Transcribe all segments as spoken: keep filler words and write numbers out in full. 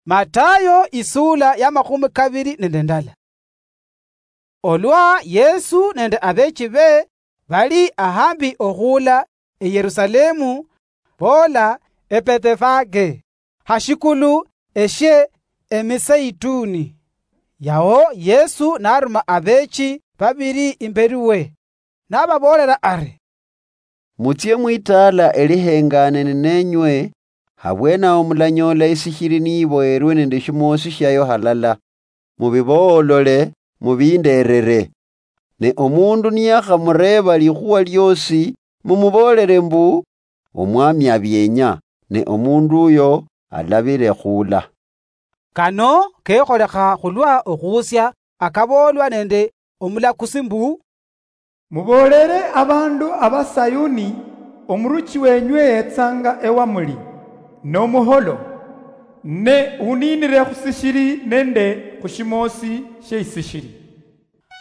Matayo isula ya makhumi kabiri nende ndala. Olwa Yesu nende abeechi be bali ahambi okhuula e Yerusalemu, boola e Bethefage, hashikulu eshe Emiseituni. Yao Yesu naruma abeechi babiri imberi we, nababoolera ari, "Mutsie mwitaala elihengaanene nenywe, habwenaho mulanyoola isishiri niiboyerwe nende eshimoosi shiayo halala. Mubiboolole, mubindeerere. Ne omuundu niyakhamureeba likhuwa lyoosi, mumuboolere mbu, 'Omwami abienya,' ne omuundu uyo alabire khuula." Kano kekholekha khulwa okhuusia akaboolwa nende omulakusi mbu, "Muboolere abaandu aba Sayuni, omuruchi wenywe yetsanga ewamuli, nomuholo, ne uniinire khusishiri nende khushimoosi shieisishiri."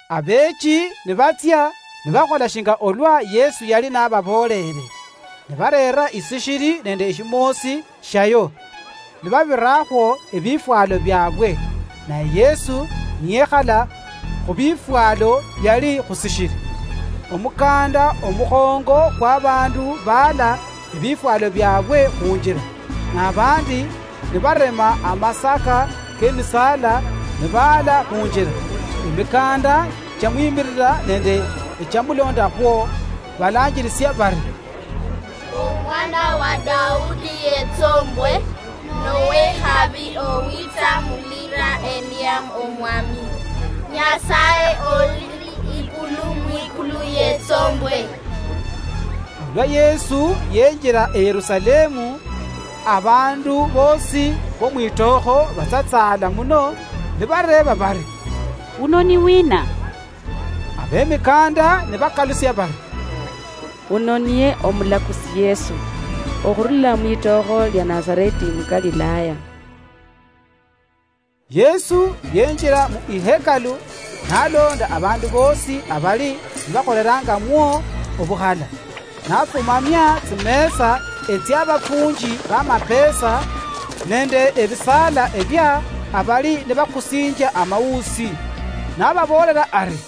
Abeechi nibatsia nibakhola shinga olwa Yesu yali nababoolere, nibareera isishiri nende eshimoosi shayo, nibabirakhwo ebifwalo biabwe, naye Yesu niyekhala khubifwalo biali khusishiri. Omukanda omukhongo kwabandu baala ebifwalo biabwe khunjira, nabandi nibarema amasaka kemisaala nibaala khunjira. Emikanda chiamwimirira nende echiamulondakhwo, balanjirisia bari, "Omwana wa Daudi yetsombwe, nowehabi owitsa mulira eliam Omwami. Nyasaye oli ikulu mwikulu yetsombwe." Olwa Yesu yenjira e Yerusalemu, abandu bosi bomwitookho batsatsaala muno, nibareeba bari, "Uno ni wina?" Abemikanda nibakalusia bari, "Uno niye omulakusi Yesu, okhurula mwitookho lia Nazareti mu Galilaya." Yesu yenjira mu ihekalu, nalonda abandu bosi abali nibakholerangamwo obukhala, nafumamia tsimesa etsiabafunji bamapesa nende ebisaala ebia abali nibakusinjia amausi, nababoolera ari,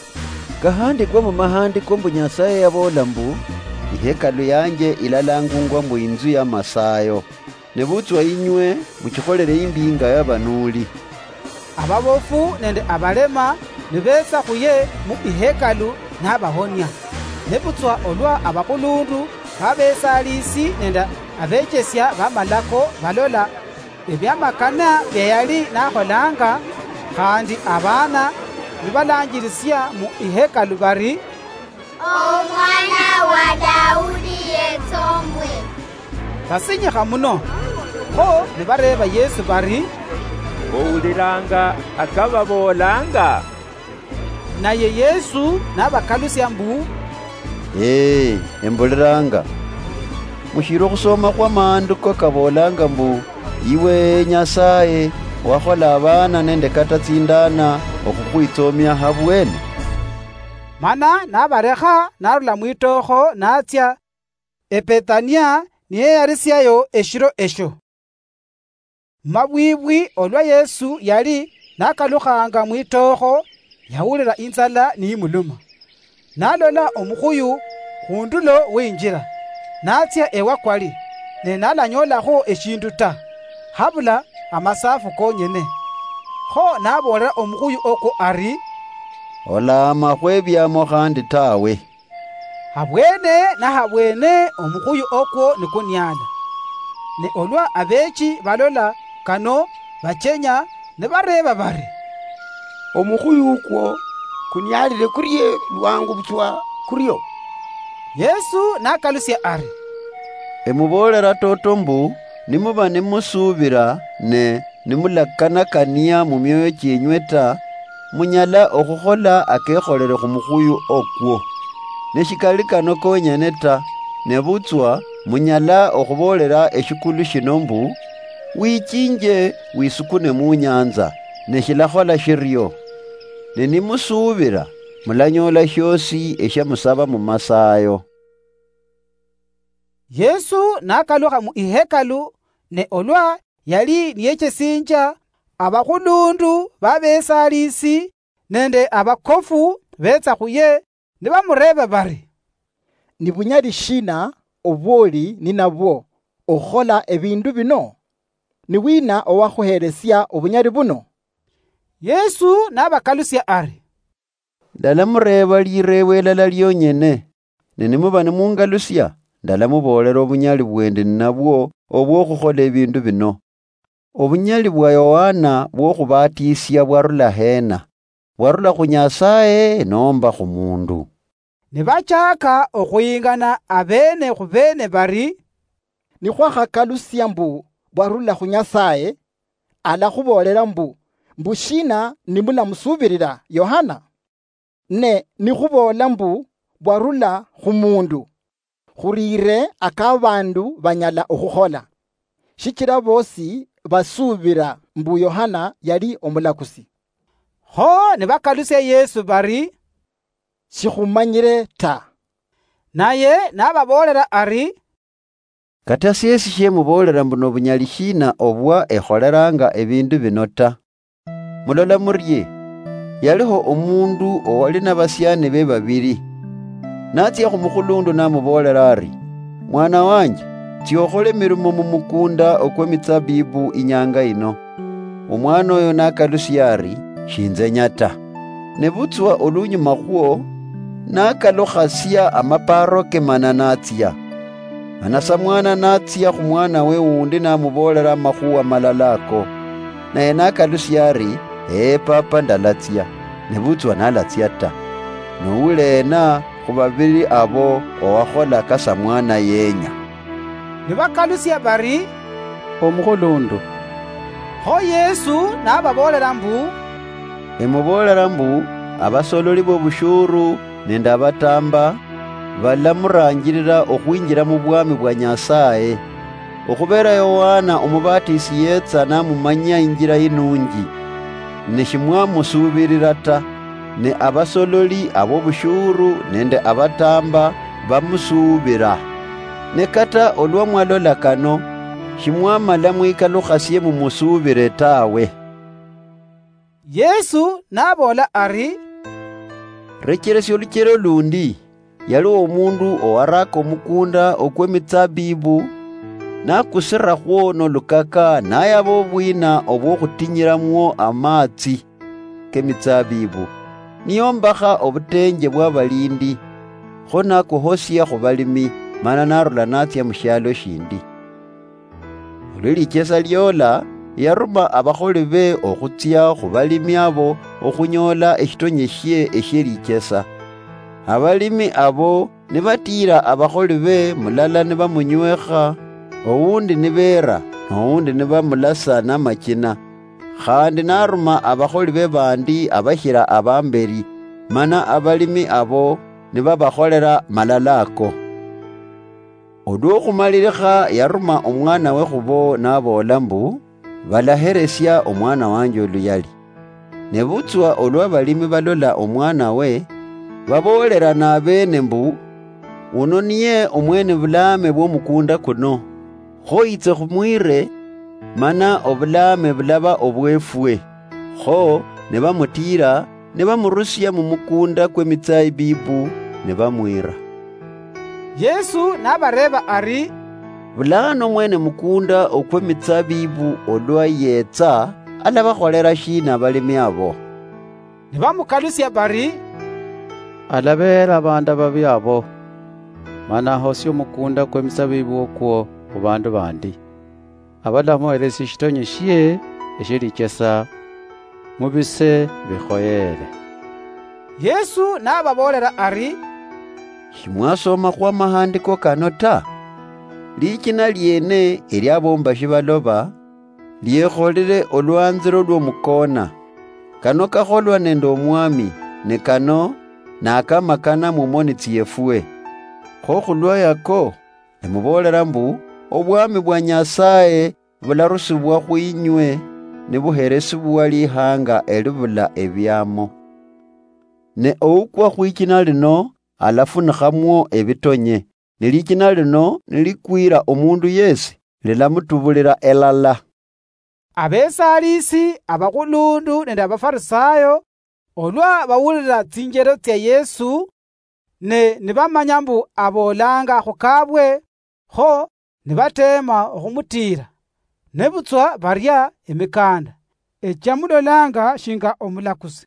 "Kahandikwa mumahandiko mbu Nyasaye yaboola mbu, 'Ihekalu yanje ilalangungwa mbu inzu ya masayo.' Nebutswa inywe muchikholere imbi inga yabanuuli." Ababofu nende abalema nibetsa khuye mu ihekalu nabahonia. Nebutswa olwa abakhulundu babesaalisi nende abechesia bamalako balola ebiamakana bia yali nakholanga, khandi abaana nibalanjirisia mu ihekalu bari, "Omwana wa Daudi yetsombwe." Basinyikha muno. Kho nibareeba Yesu bari, "Owuliranga akababoolanga?" Naye Yesu nabakalusia mbu, "Ee, embuliranga. Mushiri okhusoma khwa maandiko kaboolanga mbu, 'Iwe Nyasaye, wakhola abaana nende kata tsindana okhukhwitsomia habwene?'" Mana nabarekha narula mwitookho natsia Ebethania niyeyarisiayo eshiro esho. Mabwibwi olwa Yesu yali nakalukhanga mwitookho, yawulira inzala niyimuluma. Nalola omukhuyu khundulo weinjira, natsia ewa kwali, ne nalanyoolakho eshindu ta, habula amasafu konyene. Kho naboolera omukhuyu okwo ari, "Olaama khwebiamo khandi tawe." Habwene nahabwene omukhuyu okwo nikuniala. Ne olwa abeechi balola kano, bachenya nibareeba bari, "Omukhuyu ukwo kunialire kurie lwangu butswa kurio?" Yesu nakalusia ari, "Emuboolera toto mbu, nimuba nimusuubira ne nimulakanakania mumioyo chienywe ta, munyala okhukhola akekholere khumukhuyu okwo. Ne shikali kano konyene ta, nebutswa munyala okhuboolera eshikulu shino mbu, 'Wichinje wisukune munyanza,' ne shilakhola shirio. Ne nimusuubira, mulanyoola shiosi eshiamusaba mumasayo." Yesu nakalukha mu ihekalu, ne olwa yali niyechesinjia Abakhulundu babesalisi nende abakofu betsa khuye nibamureeba bari, "Ni bunyali shina obwoli ninabwo okhukhola ebindu bino? Ni wina owakhuhelesia obunyali buno?" Yesu nabakalusia ari, "Ndalamureeba lireebo elala lionyene, ne nimuba nimungalusia, ndalamuboolela obunyali bwendi ninabwo obwokhukhola ebindu bino. Obunyali bwa Yohana bwokhubatisia bwarula hena? Bwarula khu Nyasaye nomba khu mundu?" Nibachaaka okhuyingana abeene khu beene bari, "Nikhwakhakalusia mbu bwarula khu Nyasaye, alakhuboolela mbu, mbu shina nimulamusuubirira Yohana? Ne nikhuboola mbu bwarula khu mundu, khuriire aka baandu banyala okhukhola, shichila boosi basuubira mbu Yohana yali omulakusi." Kho nibakalusia Yesu bari, "Shikhumanyire ta." Naye nababoolera ari, "Kata syesi shemuboolera mbu nobunyali shiina obwa ekholeraanga ebindu bino ta. Mulola murie, yaliho omundu owali nabasiani be babili. Natsia khumukhulundu namuboolera ari, 'Mwana wanje, tsia okhole emirimo mumukunda okwemitsabibu inyanga ino.' Omwana oyo nakalusia ari, 'Shinzenya ta.' Nebutswa olunyuma khwo, nakalukhasia amaparo ke mana natsia. Mana samwana natsia khumwana we wundi namuboolera amakhuwa malala ako. Naye nakalusia ari, 'Ee papa, ndalatsia.' Nebutswa nalatsia ta. Nouleena khubabili abo owakhola ka samwana yenya?" Nibakalusia bari, "Omukhulundu." Kho Yesu nababoolera mbu, "Emuboolera mbu, abasololi bobushuru nende abatamba balamuranjirira okhwinjira mubwami bwa Nyasaye. Okhubera Yohana omubatisi yetsa namumanyia injira inunji, ne shimwamusuubirira ta, ne abasololi abobushuru nende abatamba bamusuubira. Ne kata olwa mwalola kano, shimwamala mwikalukhasie mumusuubire tawe." Yesu naboola ari, "Recheresia oluchelo lundi. Yaliwo omundu owaraaka omukunda okwemitsabibu, nakusirakhwo nolukaka, nayaba obwina obwokhutinyiramuo amaatsi kemitsabibu, niyombakha obutenje bwabalindi, kho nakuhosia khubalimi, mana narula natsia mushialo shindi. Olwa lichesa liola, yaruma abakholi be okhutsia khubalimi abo okhunyoola eshitonye shie eshie lichesa. Abalimi abo nibatiira abakholi be, mulala nibamunywekha, owundi nibeera, nowundi nibamulasa namachina. Khandi naruma abakholi be bandi abashira abamberi, mana abalimi abo nibabakholela malala ako. Olwa okhumalilikha yaruma omwana we khubo naboola mbu, balaheresia omwana wanje oluyali. Nebutswa olwa balimi balola omwana we, baboolerana abeene mbu, uno niye omwene bulaame bw'omukunda kuno. Kho yitse khumwire, mana obulaame bulaba obwefwe. Kho nibamutiira, nibamurusia mumukunda kw'emitsabibu, nibamwira. Yesu nabareeba ari, "Bulaano mwene mukunda okw'emitsabibu olwa yeetsa, alabakholera shiina abalimi abo?" Nibamukalusia bari, "Alabeera abandu ababi abo, mana ahosie omukunda kw'emitsabibu okwo khubandu bandi. Abalamuheresia eshitonye shie eshie lichesa mubise bikhoyeere." Yesu nababoolera ari, "Shimwasomakhwo amahandiko kano ta? Lichina liene eliabombashi baloba, liekholile olwanziro lw'omukoona. Kano kakholwa nende Omwami, ne kano nakamakana mumoni tsiefwe. Kho khulwa yako, emuboolera mbu, obwami bwa Nyasaye bularusibwa khwinywe, nibuheresibwa lihanga elibula ebiamo. Ne oukwa khwichina lino alafunikhamwo ebitonye, ne lichina lino nilikwira omundu yesi, lilamutubulira elala." Abesaaliisi abakhulundu nende Abafarisaayo, olwa bawulira tsinjero tsia Yesu, ne nibamanya mbu aboolanga khukaabwe, kho nibateema okhumutiira, nebutswa baria emikanda echia mulolanga shinga omulakusi.